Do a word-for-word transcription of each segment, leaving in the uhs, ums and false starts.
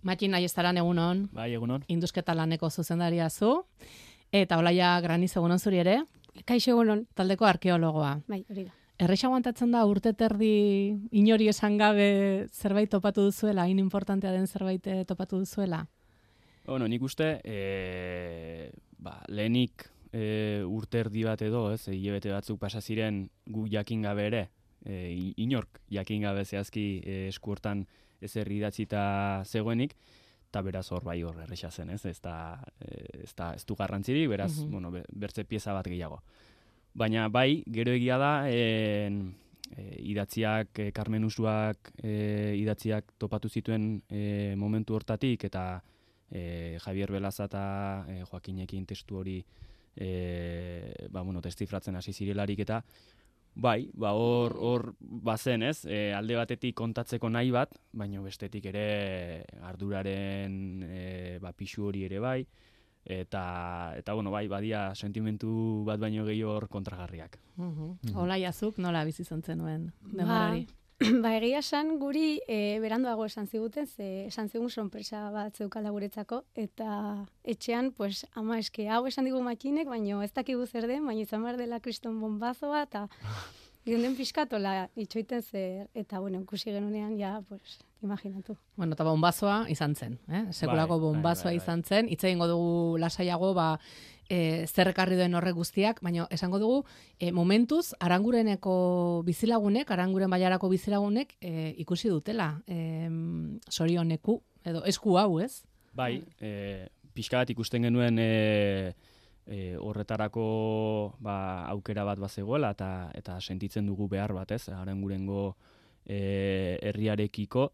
Matxin Aiestaran egunon. Bai, egunon. Indusketa laneko zuzendaria zu. Eta Olaia Graniz egunon zuri ere. Kaixo egunon. Taldeko arkeologoa. Bai, hori da. Erresa aguantatzen da urte terdi inori esan gabe zerbait topatu duzuela, hain importantea den zerbait topatu duzuela? Bueno, nik uste, e, ba, lehenik e, urte erdi bat edo, ez, hilabete batzuk pasa ziren gu jakin gabe ere, e, inork jakin gabe zehazki e, esku hortan ezer idatzita zegoenik, eta beraz hor bai hor erresa zen, ez, ez da, ez da, ez du garrantzirik, beraz, uh-huh. bueno, bertze pieza bat gehiago. Baina bai, gero egia da, e, e, idatziak, e, Carmen Usuak e, idatziak topatu zituen e, momentu hortatik, eta e, Javier Belaza eta e, Joakinekin testu hori e, ba, bueno, destifratzen hasi zirelarik, eta bai, ba, hor, hor bazen, ez, e, alde batetik kontatzeko nahi bat, baina bestetik ere arduraren e, ba, pixu hori ere bai, eta, eta bueno, bai, badia sentimentu bat baino gehiago hor kontragarriak. Uh-huh. Olaia zuk nola bizi izan zenuen denborari? Ba, ba egia esan guri e, beranduago esan ziguten, ze esan zigun sorpresa bat zeukala guretzako, eta etxean, pues, ama eske, hau esan digu Matxinek, baino ez dakigu zer den, baina izan behar dela kriston bombazoa, eta ginden pixkatola itxoiten zer, eta bueno, ikusi genunean, ja, pues, imaginatu. Bueno, eta bombazoa izan zen, eh? Sekulako bai, bombazoa bai, bai, bai. izan zen, hitz egingo dugu lasaiago, ba, e, zer ekarri duen horrek guztiak, baina esango dugu, e, momentuz, Arangureneko bizilagunek, Aranguren bailarako bizilagunek, e, ikusi dutela, e, sorioneku, edo esku hau, ez? Bai, e, pixka bat ikusten genuen e, e, horretarako ba, aukera bat bazegoela, eta, eta sentitzen dugu behar bat, ez, Arangurengo e, herriarekiko,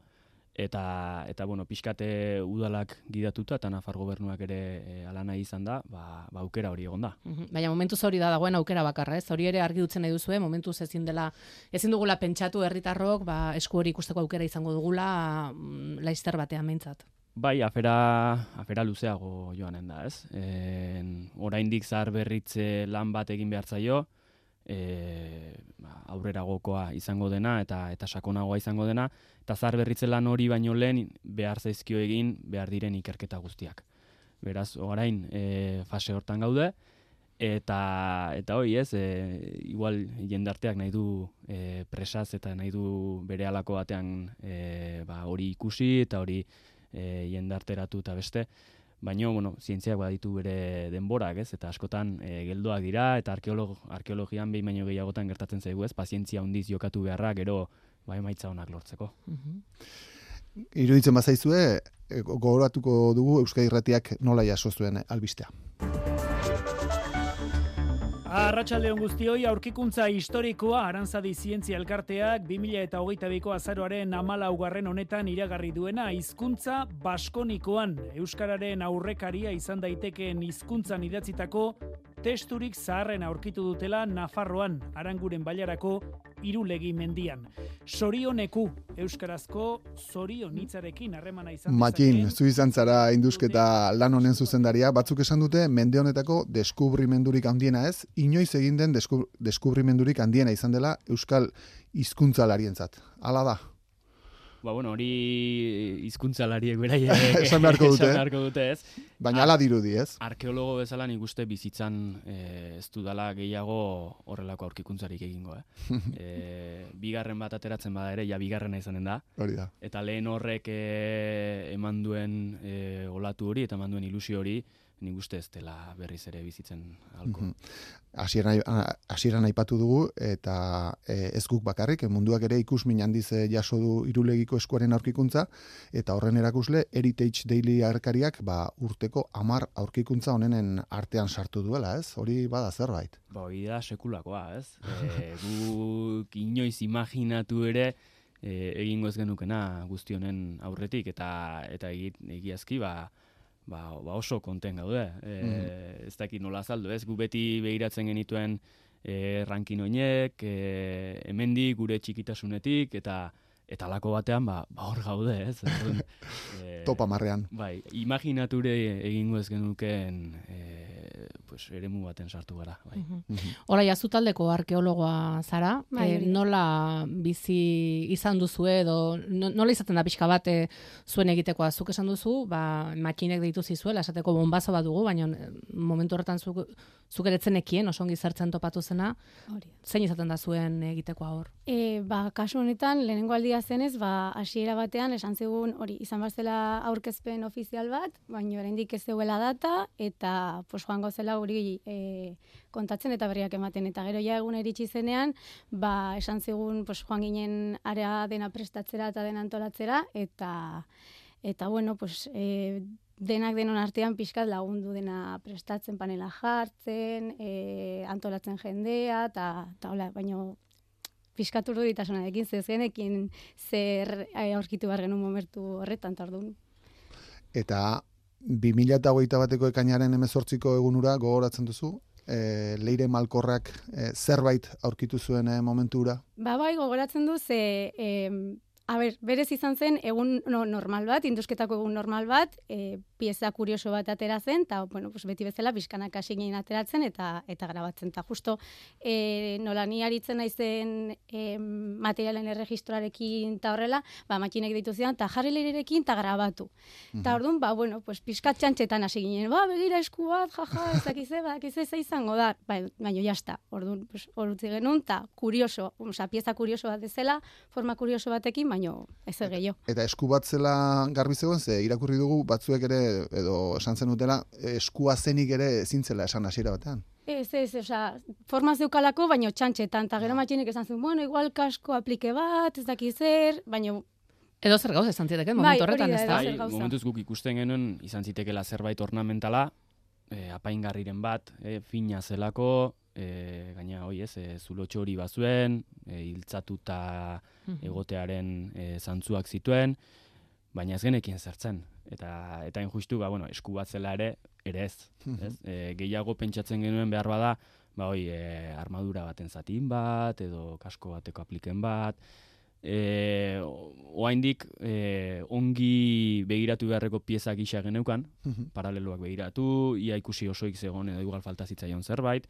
Eta, eta bueno, pixkate udalak gidatuta eta Nafar gobernuak ere e, ala nahi izan da, ba, ba aukera hori egon da. Uh-huh. Baina momentuz hori da dagoen aukera bakarra, ez? Hori ere argi dutzen nahi duzue, momentuz ezin dela, ezin dugula pentsatu herritarrok, ba, esku hori ikusteko aukera izango dugula mm, laizter batean meintzat. Bai, afera, afera luzeago joanen da, ez? E, oraindik zahar berritze lan bat egin behar zaio, E, aurreragokoa izango dena eta eta sakonagoa izango dena, eta zahar berritze lan hori baino lehen behar zaizkio egin behar diren ikerketa guztiak. Beraz, orain e, fase hortan gaude, eta eta hori ez, e, igual jendarteak nahi du e, presaz eta nahi du bere halako batean e, ba, hori ikusi eta hori e, jendarteratu eta beste, baina, bueno, zientziak baditu bere denborak, ez? Eta askotan e, geldoak dira, eta arkeolog, arkeologian behin baino gehiagotan gertatzen zaigu, ez? Pazientzia handiz jokatu beharra, gero bai emaitza onak lortzeko. Uh-huh. Iruditzen bazaizue, e, gogoratuko dugu Euskadi Irratiak nola jaso zuen albistea. Arratsaldeon guztioi, aurkikuntza historikoa Aranzadi Zientzia Elkarteak bi mila hogeita biko azaroaren hamalaugarren honetan iragarri duena hizkuntza baskonikoan, euskararen aurrekaria izan daitekeen hizkuntzan idatzitako testurik zaharren aurkitu dutela Nafarroan, Aranguren bailarako Irulegi mendian. Sorioneku, euskarazko zorion hitzarekin harremana izan dezakeen. Matxin, zu izan zara indusketa lan honen zuzendaria, batzuk esan dute mende honetako deskubrimendurik handiena ez, inoiz egin den desku, deskubrimendurik handiena izan dela euskal hizkuntzalarientzat. Hala da? Ba, bueno, hori hizkuntzalariek beraiek esan beharko dute, esan beharko dute ez. Baina hala dirudi, ez? Arkeologo bezala nik uste bizitzan e, ez dudala gehiago horrelako aurkikuntzarik egingo, eh? e, bigarren bat ateratzen bada ere, ja bigarrena izanen da. Hori da. Eta lehen horrek e, eman duen e, olatu hori eta eman duen ilusio hori, nik uste ez dela berriz ere bizitzen alko. Hasieran hasieran aipatu dugu, eta e, ez guk bakarrik, munduak ere ikusmin handiz jaso du Irulegiko eskuaren aurkikuntza, eta horren erakusle Heritage Daily arkariak ba, urteko hamar aurkikuntza honenen artean sartu duela, ez? Hori bada zerbait. Ba, hori da sekulakoa, ez? E, guk inoiz imaginatu ere e, egingo ez genukena guzti honen aurretik, eta eta egiazki, ba, Ba, ba oso konten gaude, e, mm. ez dakit nola azaldu, ez? Gu beti behiratzen genituen e, rankin oinek, e, hemendik gure txikitasunetik, eta eta alako batean, ba, ba hor gaude, ez? e, Topa marrean. Bai, imaginature egingo ez genukeen e, pues, eremu baten sartu gara. Bai. Hola, jazu taldeko arkeologoa zara, Bai, e, nola bizi izan duzu edo nola izaten da pixka bat e, zuen egitekoa, zuk esan duzu, ba, makinek deitu zizuela, esateko bombazo bat dugu, baina momentu horretan zuk, zuk eretzen ekien, oso ongi zertzen topatu zena, Hori. zein izaten da zuen egitekoa hor? E, ba, kasu honetan, lehenengo aldia zenez, ba, hasiera batean, esan zigun, hori, izan bazela aurkezpen ofizial bat, baina oraindik ez zeuela data, eta pues, joango zela hori e, kontatzen eta berriak ematen. Eta gero ja egun iritsi zenean, ba, esan zigun, pues, joan ginen area dena prestatzera eta dena antolatzera, eta, eta bueno, pues, e, denak denon artean pixkat lagundu dena prestatzen, panela jartzen, e, antolatzen jendea, eta hola, baina pixkat urduritasunaren, zez genekin zer aurkitu behar genuen momentu horretan, tardun. Eta bi mila hogeita bateko ekainaren hemezortziko egunura gogoratzen duzu, e, Leire Malkorrak e, zerbait aurkitu zuen e, momentura? Ba bai, gogoratzen du, ze... E, A ber, berez izan zen egun no, normal bat, indusketako egun normal bat, e, pieza kurioso bat atera zen, eta bueno, pues beti bezala bizkanak hasi ginen ateratzen eta eta grabatzen. Eta justo e, nola ni aritzen naizen e, materialen erregistroarekin eta horrela, ba, makinek deitu zidan, eta jarri leirerekin eta grabatu. Eta mm-hmm. orduan, ba, bueno, pues pixkat txantxetan hasi ginen, ba, begira esku bat, jaja, ezakize, ba, ezakize ze izango da, ba, baina jazta, orduan, pues, orutzi genuen, eta kurioso, oza, pieza kurioso bat dezela, forma kurioso batekin, baino ez gehiago. Eta esku bat zela garbi zegoen, ze irakurri dugu batzuek ere, edo esan zen dutela, eskua zenik ere ezintzela esan hasiera batean. Ez, ez, oza, forma zeukalako, baino txantxetan, eta gero matxinek esan zuen, bueno, igual kasko aplike bat, ez daki zer, baino... Edo zer gauza izan ziteken, momentu horretan, ez da? Bai, momentuz guk ikusten genuen, izan zitekela zerbait ornamentala, e, apaingarriren bat, e, fina zelako, e, gaina, hoi ez, e, zulotxo hori bazuen, e, hiltzatuta egotearen e, zantzuak zituen, baina ez genekien zertzen. Eta eta injustu, ba, bueno, esku bat zela ere, ere ez. ez? E, gehiago pentsatzen genuen behar bada, ba, hoi, e, armadura baten zatin bat, edo kasko bateko apliken bat, e, oaindik e, ongi begiratu beharreko pieza gisa geneukan, paraleloak begiratu, ia ikusi osoik zegoen edo igual falta zitzaion zerbait,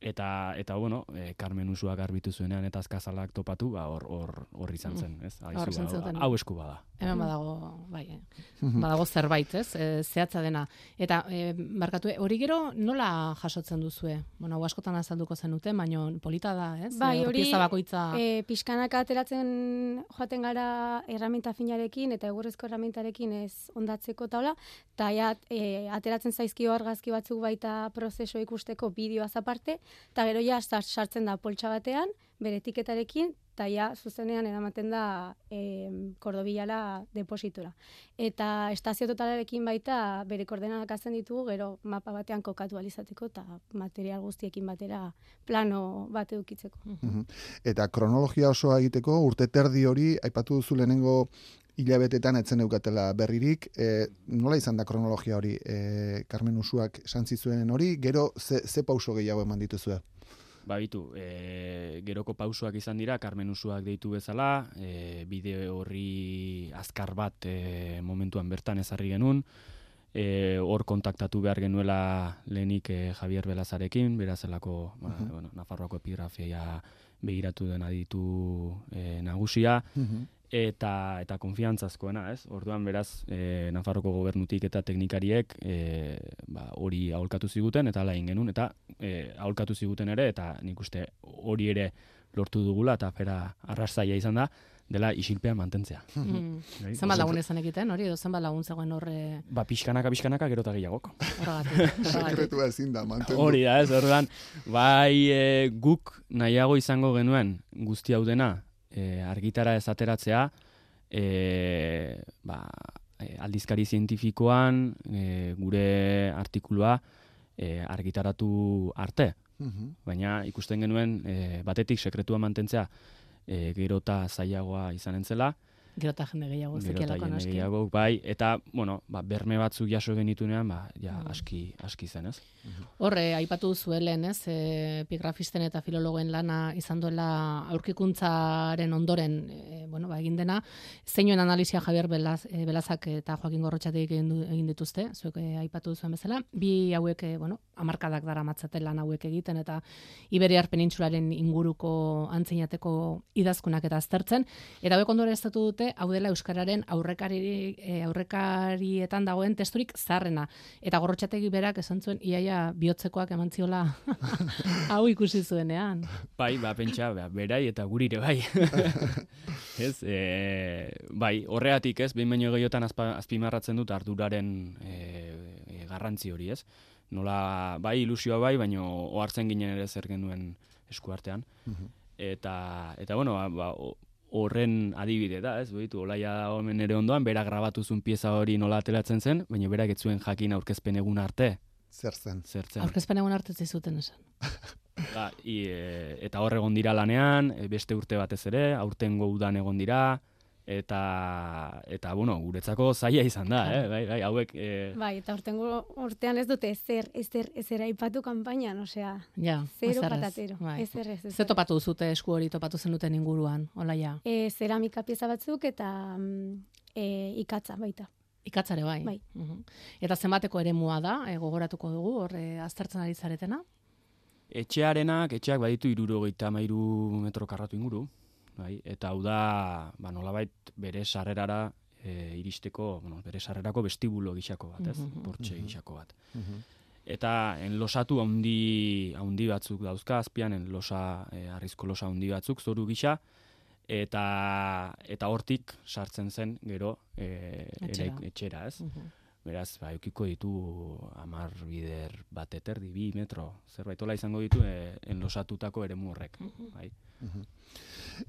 eta eta bueno, e, Carmen Usuak garbitu zuenean eta azkazalak topatu, ba hor hor hor izan zen, ez? Aizu, ba, hau esku bada. Hemen badago, bai, eh? badago zerbait, ez? E, zehatza dena. Eta e, barkatu, hori gero nola jasotzen duzue? Bueno, hau askotan azalduko zenuten, baina polita da, ez? Bai, hori bakoitza... e, pixkanaka ateratzen joaten gara erraminta finarekin eta egurrezko erramintarekin ez ondatzeko taula, eta ja, e, ateratzen zaizkio argazki batzuk baita prozeso ikusteko bideoaz aparte, eta gero ja sartzen da poltsa batean, bere etiketarekin, eta ja zuzenean eramaten da e, Kordobilara depositora. Eta estazio totalarekin baita bere koordenadak hazen ditugu, gero mapa batean kokatu alizateko eta material guztiekin batera plano bat edukitzeko. Uh-huh. Eta kronologia osoa egiteko, urte terdi hori, aipatu duzu lehenengo hilabetetan etzen eukatela berririk, e, nola izan da kronologia hori, e, Carmen Usuak santzizuen hori, gero ze, ze pauso gehiago eman dituzue? Ba, bitu, e, geroko pausoak izan dira, Carmen Usuak deitu bezala, e, bideo horri azkar bat e, momentuan bertan ezarri genuen, e, hor kontaktatu behar genuela lehenik e, Javier Belazarekin, berazelako, uh-huh. ba, bueno, Nafarroako epigrafia begiratu den aditu e, nagusia, uh-huh. eta eta konfiantzazkoena, ez? Orduan beraz, e, Nafarroko gobernutik eta teknikariek e, ba, hori aholkatu ziguten eta hala egin genuen eta e, aholkatu ziguten ere eta nik uste hori ere lortu dugula eta fera arrasaia izan da dela isilpean mantentzea. Mm. Zenbat lagun ezan egiten, hori edo zenbat lagun zegoen horre... Ba, pixkanaka, pixkanaka, gero eta gehiagok. Horregatik. Sekretua ezin da, mantendu. Hori da, ez, orduan, bai e, guk nahiago izango genuen guzti hau dena, E, argitara ez ateratzea, e, ba, e, aldizkari zientifikoan e, gure artikulua e, argitaratu arte. Uh-huh. Baina ikusten genuen e, batetik sekretua mantentzea e, gero eta zailagoa izan entzela, Gero eta jende gehiago, zekielako jende noski. gehiago, bai, eta, bueno, ba, berme batzuk jaso genitunean, ba, ja, Mm. aski, aski zen, ez? Horre, aipatu zuelen, ez, e, epigrafisten eta filologoen lana izan duela aurkikuntzaren ondoren, e, bueno, ba, egin dena, zeinuen analizia Javier Belaz, e, Belazak eta Joaquin Gorrotxatek egin, du, egin dituzte, zuek e, aipatu zuen bezala, bi hauek, e, bueno, hamarkadak dara matzaten lan hauek egiten, eta Iberiar penintsularen inguruko antzinateko idazkunak eta aztertzen, eta hauek ondoren estatu dute, hau dela Euskararen aurrekari, e, aurrekarietan dagoen testurik zaharrena, eta Gorrotxategi berak esan zuen, iaia bihotzekoak eman ziola hau ikusi zuenean. Bai, ba, pentsa, ba, berai eta gurire, bai. Ez, e, bai, horregatik, ez, behin baino gehiotan azpa, azpimarratzen dut arduraren e, e, garrantzi hori, ez? Nola, bai, ilusioa bai, baino ohartzen ginen ere zer genuen eskuartean. Eta, eta bueno, ba, horren adibide da, ez? Beitu, Olaia da hemen ere ondoan, berak grabatu zuen pieza hori nola ateratzen zen, baina berak ez zuen jakin aurkezpen egun arte. Zer zen? Zer zen. Aurkezpen egun arte zizuten esan. Ba, i, e, eta hor egon dira lanean, e, beste urte batez ere, aurtengo udan egon dira, eta, eta bueno, guretzako zaila izan da, eh? Bai, bai, hauek... E... Bai, eta urtengo urtean ez dute ezer, ezer, ezer aipatu kanpainan, osea, Ja, zero ezerrez, patatero, bai. ezer ez. Ze topatu zute esku hori topatu zenuten inguruan, Olaia? E, zeramika pieza batzuk eta mm, e, ikatza baita. Ikatzare bai. Bai. Uhum. Eta zenbateko eremua da, e, gogoratuko dugu, hor e, aztertzen ari zaretena? Etxearenak, etxeak baditu hirurogeita hamairu metro karratu inguru, bai, eta hau da, ba, nolabait bere sarrerara e, iristeko, bueno, bere sarrerako vestibulo gixako bat, ez? Mhm. Portxe gixako bat. Eta enlosatu haundi, haundi batzuk dauzka, azpian enlosa, e, arrizko losa haundi batzuk, zoru gisa, eta eta hortik sartzen zen gero e, Etxera. eraik- etxera, ez? Uhum. Beraz, ba, eukiko ditu hamar bider bat eterdi, bi metro, zerbait hola izango ditu e, enlosatutako eremu horrek. Bai.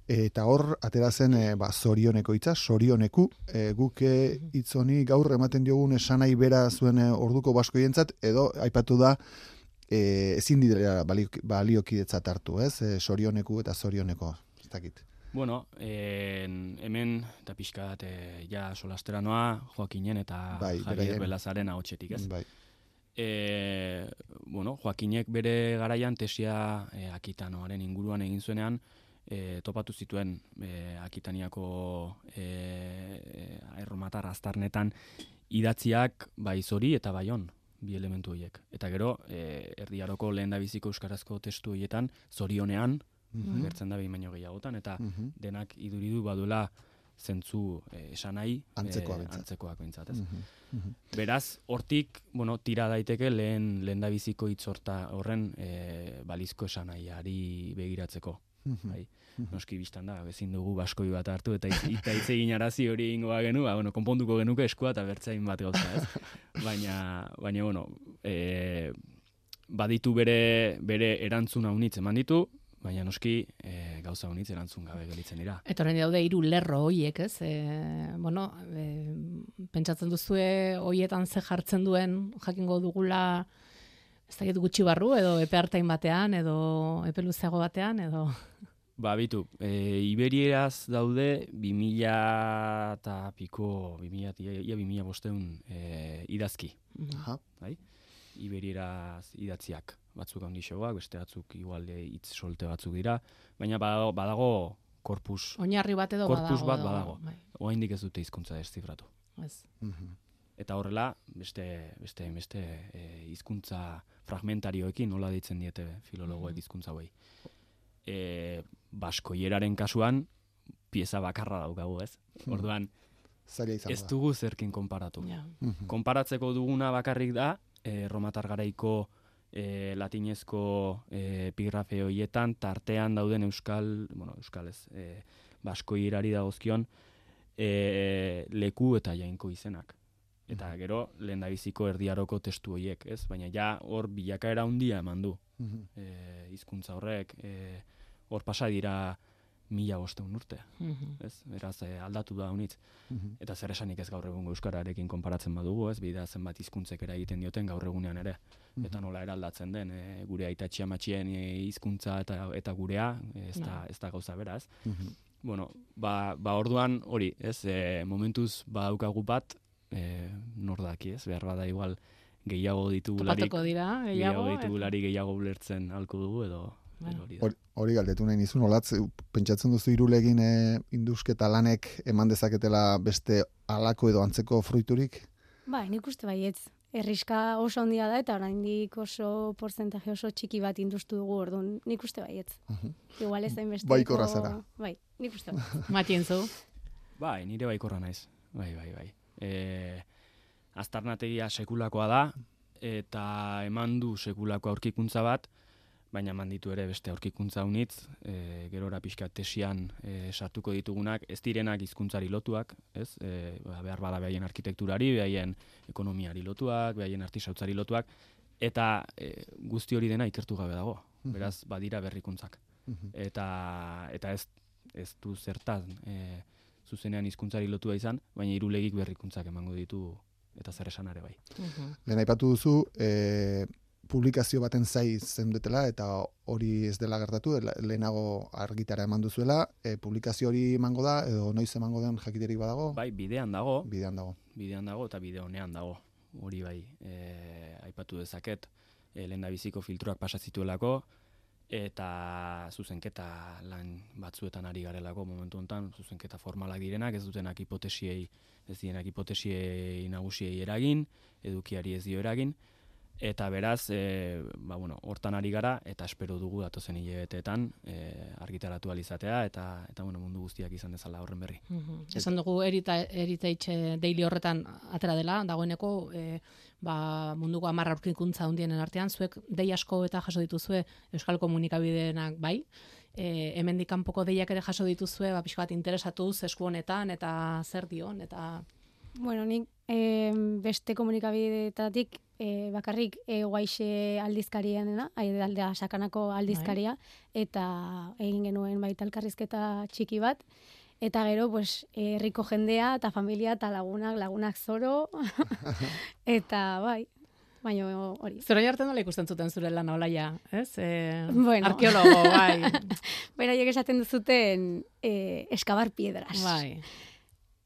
Eta hor, atera zen, e, ba, zorioneko hitza, zorioneku, e, guk e, hitz honi gaur ematen diogun esanai bera zuen e, orduko baskoientzat, edo aipatu da, e, ezin dira balio, baliokidetzat hartu, ez? E, zorioneku eta zorioneko, ez dakit. Bueno, en, hemen, eta pixka bat, e, ja solastera noa, Joakinen eta Bai, Javier beraien. Belazaren ahotsetik, ez? Bai. E, bueno, Joakinek bere garaian tesia e, Akitanoaren inguruan egin zuenean, e, topatu zituen e, Akitaniako e, erromatar aztarnetan idatziak bai zori eta baion, bi elementu horiek. Eta gero, e, erdiaroko lehendabiziko euskarazko testu horietan, zorionean, Mhm. gertzen da behin baino gehiagotan, eta Mhm. denak iduridu baduela zentzu e, esanai Antzekoa e, behintzat. antzekoak behintzat, ez? Mhm. Mhm. Beraz, hortik, bueno, tira daiteke lehen lehendabiziko hitz horta horren e, balizko esanaiari begiratzeko. Mhm. Bai. Noski biztan da, ezin dugu baskoi bat hartu eta hitz eta hitz egin arazi hori ingoa genu, ba, bueno, konponduko genuke eskua eta bertzain bat gauza, ez? Baina, baina, bueno, e, baditu bere, bere erantzuna unitz eman ditu, baina noski e, gauza unitz erantzun gabe gelitzen dira. Eta orain daude hiru lerro hoiek, ez? E, bueno, e, pentsatzen duzue hoietan ze jartzen duen, jakingo dugula ez dakit gutxi barru, edo epe hartain batean, edo epe luzeago batean, edo... Ba, bitu, e, Iberieraz daude bi mila eta piko, bi mila, ia bi mila bosteun e, idazki, Aha. bai? Iberieraz idatziak, batzuk handixoak, beste batzuk igual hitz solte batzuk dira, baina badago, badago korpus, Oinarri bat edo korpus badago. bat edo- badago. Bai, Oraindik ez dute hizkuntza deszifratu. ez. Mhm. Eta horrela, beste beste beste e, hizkuntza fragmentarioekin nola deitzen diete filologoek hizkuntza hauei. E, baskoieraren kasuan pieza bakarra daukagu, ez? Orduan, Zaila izango ez da. dugu zerkin konparatu. Ja. Mhm. Konparatzeko duguna bakarrik da, e, romatar garaiko e, latinezko e, epigrafe horietan, tartean dauden euskal, bueno, euskal ez, e, baskoierari dagozkion e, leku eta jainko izenak. Eta gero, lehendabiziko erdiaroko testu horiek, ez? Baina ja hor bilakaera handia eman du. Mhm. E, hizkuntza horrek, e, hor pasa dira mila bosteun urte, Mhm. ez? Beraz, e, aldatu da honitz. Mhm. Eta zer esanik ez gaur egungo euskararekin konparatzen badugu, ez? Bida zenbat hizkuntzek eragiten dioten gaur egunean ere. Eta nola eraldatzen den, e, gure aitatxi amatxien e, hizkuntza eta eta gurea, ez da, ez da gauza bera, ez? Mhm. bueno, ba, ba orduan hori, ez, e, momentuz badaukagu bat, e, nor daki, ez, behar bada igual gehiago ditugularik, Topatuko dira, gehiago, gehiago ditugularik gehiago ulertzen halko dugu, edo, edo hori da. Hori, hori galdetu nahi nizun, olatz, pentsatzen duzu irulegin e, indusketa lanek eman dezaketela beste halako edo antzeko fruiturik? Bai, nik uste baietz. Erriska oso handia da eta oraindik oso porcentaje oso txiki bat industu dugu, orduan nik uste baietz. Uh-huh. Igual ez hainbesteko. Baikorra zara. Bai, nik uste baietz. Matien zu. Bai, nire baikorra naiz. Bai, bai, bai. E, aztarnategia sekulakoa da, eta eman du sekulako aurkikuntza bat, baina eman ditu ere beste aurkikuntza unitz, e, gerora pixka tesian e, sartuko ditugunak, ez direnak hizkuntzari lotuak, ez? E, behar bada behaien arkitekturari, behaien ekonomiari lotuak, behaien artisautzari lotuak, eta e, guzti hori dena ikertu gabe dago, beraz badira berrikuntzak. Eta, eta ez, ez du zertan e, zuzenean hizkuntzari lotua izan, baina irulegik berrikuntzak emango ditu eta zer esan ere bai. Lehen aipatu duzu, e, publikazio baten zai zendetela eta hori ez dela gertatu, lehenago argitara eman duzuela, e, publikazio hori emango da, edo noiz emango den jakiterik badago? Bai, bidean dago. Bidean dago. Bidean dago eta bide honean dago. Hori bai, e, aipatu dezaket, e, lehen da biziko filtruak pasazituelako, eta zuzenketa lan batzuetan ari garelako momentu honetan, zuzenketa formalak direnak, ez dutenak hipotesiei, ez dienak hipotesiei nagusiei eragin, edukiari ez dio eragin, eta beraz, e, ba, bueno, hortan ari gara, eta espero dugu datozen hilabeteetan e, argitaratu alizatea, eta, eta bueno, mundu guztiak izan dezala horren berri. Uh-huh. Esan dugu Heritage Daily horretan atera dela, dagoeneko e, ba, munduko hamar aurkikuntza hundienen artean, zuek dei asko eta jaso dituzue Euskal Komunikabideenak bai, e, hemendik kanpoko deiak ere jaso dituzue, ba, pixka bat interesatuz esku honetan, eta zer dion, eta... Bueno, nik e, beste komunikabideetatik e, bakarrik e, guaixe aldizkarianena, aldea sakanako aldizkaria, eta egin genuen baita elkarrizketa txiki bat, eta gero, pues, herriko jendea, eta familia, eta lagunak, lagunak zoro, eta bai, baina hori. Zero jartzen nola ikusten zuten zure lana olaia, ez? E, bueno. Arkeologo, bai. Beraiek esaten duzuten e, eskabar piedras. Bai.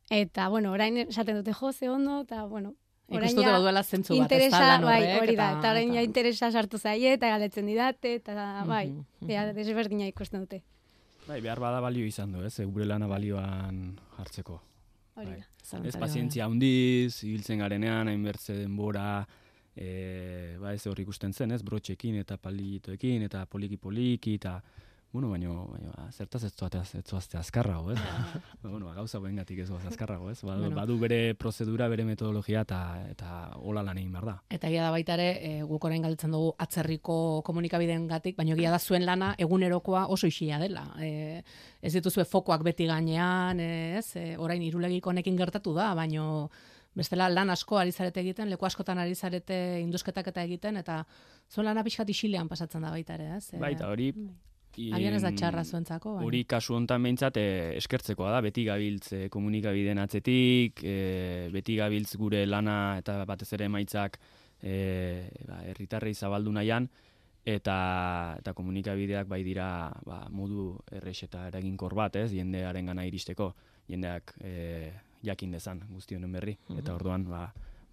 Eta, bueno, orain esaten dute jo, ze ondo, eta, bueno, orain ikustu ja duela zentzu bat, ez interesa, da lan bai, horrek, hori da, eta- eta orain ja eta- interesa sartu zaie, eta galetzen didate, eta, bai, Mhm, mhm. ja, desberdina ikusten dute. Bai, behar bada balio izan du, ez, gure lana balioan jartzeko. Hori Bai. da. Ez Zalantzari pazientzia handiz, ibiltzen garenean, hainbertze denbora, e, ba ez hor ikusten zen, ez, brotxekin eta palitoekin, eta poliki-poliki, eta, bueno, baino, baino ba, zertaz ez zoazte azkarrago, ez? Ba, bueno, gauza bengatik ez zoaz azkarrago, ez? Badu, Bueno. badu bere prozedura, bere metodologia, eta, eta hola lan egin behar da. Eta egia da baita ere, e, guk orain galdetzen dugu atzerriko komunikabideengatik, baina egia da zuen lana egunerokoa oso isia dela. E, ez dituzue fokoak beti gainean, e, ez? E, orain irulegik honekin gertatu da, baino bestela lan asko ari zarete egiten, leku askotan ari zarete indusketak eta egiten, eta zuen lana pixkat isilean pasatzen da baita ere, ez? E, Baita, hori... Agian ez da txarra zuentzako, baina. Hori kasu hontan behintzat eh, eskertzekoa da, beti gabiltz eh, komunikabideen atzetik, eh, beti gabiltz gure lana eta batez ere emaitzak eh, ba, herritarrei zabaldu nahian, eta, eta komunikabideak bai dira ba, modu errex eta eraginkor bat, ez, jendearen gana iristeko, jendeak eh, jakin dezan guzti honen berri, eta orduan ba,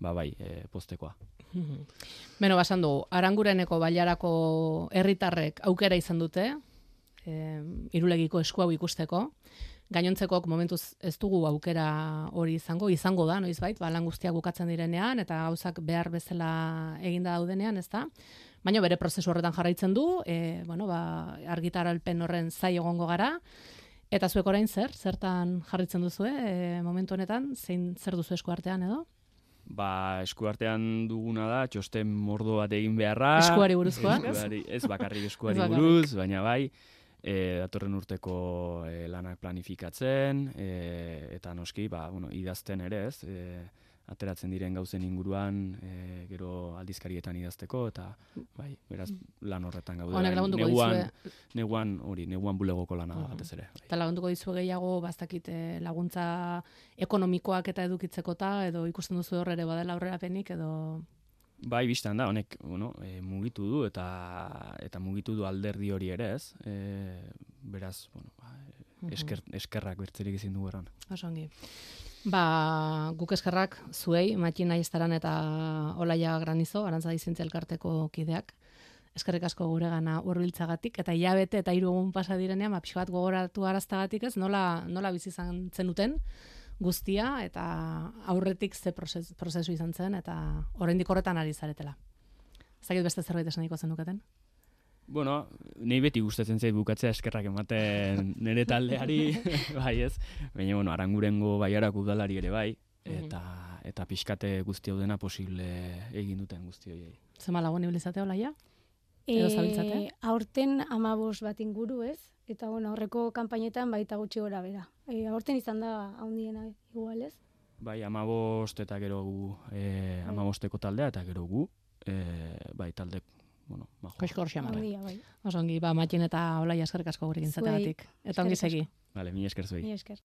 ba bai, eh, postekoa. Beno, basan dugu, Arangureneko bailarako herritarrek aukera izan dute, e, irulegiko esku hau ikusteko. Gainontzekok momentuz ez dugu aukera hori izango, izango da, noizbait, ba, lan guztiak bukatzen direnean, eta gauzak behar bezala eginda daudenean, ez da? Baina bere prozesu horretan jarraitzen du, e, bueno, ba, argitaralpen horren zai egongo gara, eta zuek orain zer, zertan jarraitzen duzu, e, momentu honetan, zein zer duzu esku artean edo? Ba, eskuartean duguna da, txosten mordo bat egin beharra. Eskuari buruzkoa? Eskuari, ez bakarrik eskuari Ez bakarrik. buruz, baina bai, e, datorren urteko e, lanak planifikatzen, e, eta noski, ba, bueno, idazten ere ez, e, ateratzen diren gauzen inguruan, e, gero aldizkarietan idazteko, eta bai, beraz, lan horretan gaude. Honek lagunduko neguan, dizue. neguan, hori, neguan bulegoko lana da batez ere. Bai. Eta lagunduko dizue gehiago, bastakit laguntza ekonomikoak eta edukitzekota, edo ikusten duzu hor ere badela aurrerapenik, edo... Bai, biztan da, honek bueno, e, mugitu du eta eta mugitu du alderdi hori ere, ez? E, beraz, bueno, ba, esker, eskerrak bertzerik ezin dugu erran. Osongi. Ba, guk eskerrak zuei, Matxina Aiestaran eta Olaia Granizo, Arantzadi Zientzia Elkarteko kideak. Eskerrik asko guregana hurbiltzagatik eta hilabete eta hiru egun pasa direnean, ba pixka bat gogoratu araztagatik, ez? Nola nola bizi izan zenuten guztia eta aurretik ze prozesu, prozesu izan zen eta oraindik horretan ari zaretela. Ez dakit beste zerbait esan nahiko zenuketen? Bueno, nei beti gustatzen zait bukatzea eskerrak ematen nire taldeari, bai ez. Baina, bueno, Arangurengo Baiarak udalari ere bai, eta eta pixkate guzti hau dena posible egin duten guzti horiei. Zema lagun ibilizate Olaia? Edo zabiltzate? E, aurten amabos bat inguru, ez? Eta bueno, horreko kanpainetan baita gutxi gora bera. E, aurten izan da handiena igual, ez? Bai, amabost eta gero gu, e, amabosteko taldea eta gero gu, e, bai, talde, bueno, majo. Koizkor xamar. Handia, bai. Osongi, ba, Matxin eta Olaia eskerrik asko gurekin zategatik. Eta ongi segi. Vale, mi esker zuei. Mi esker.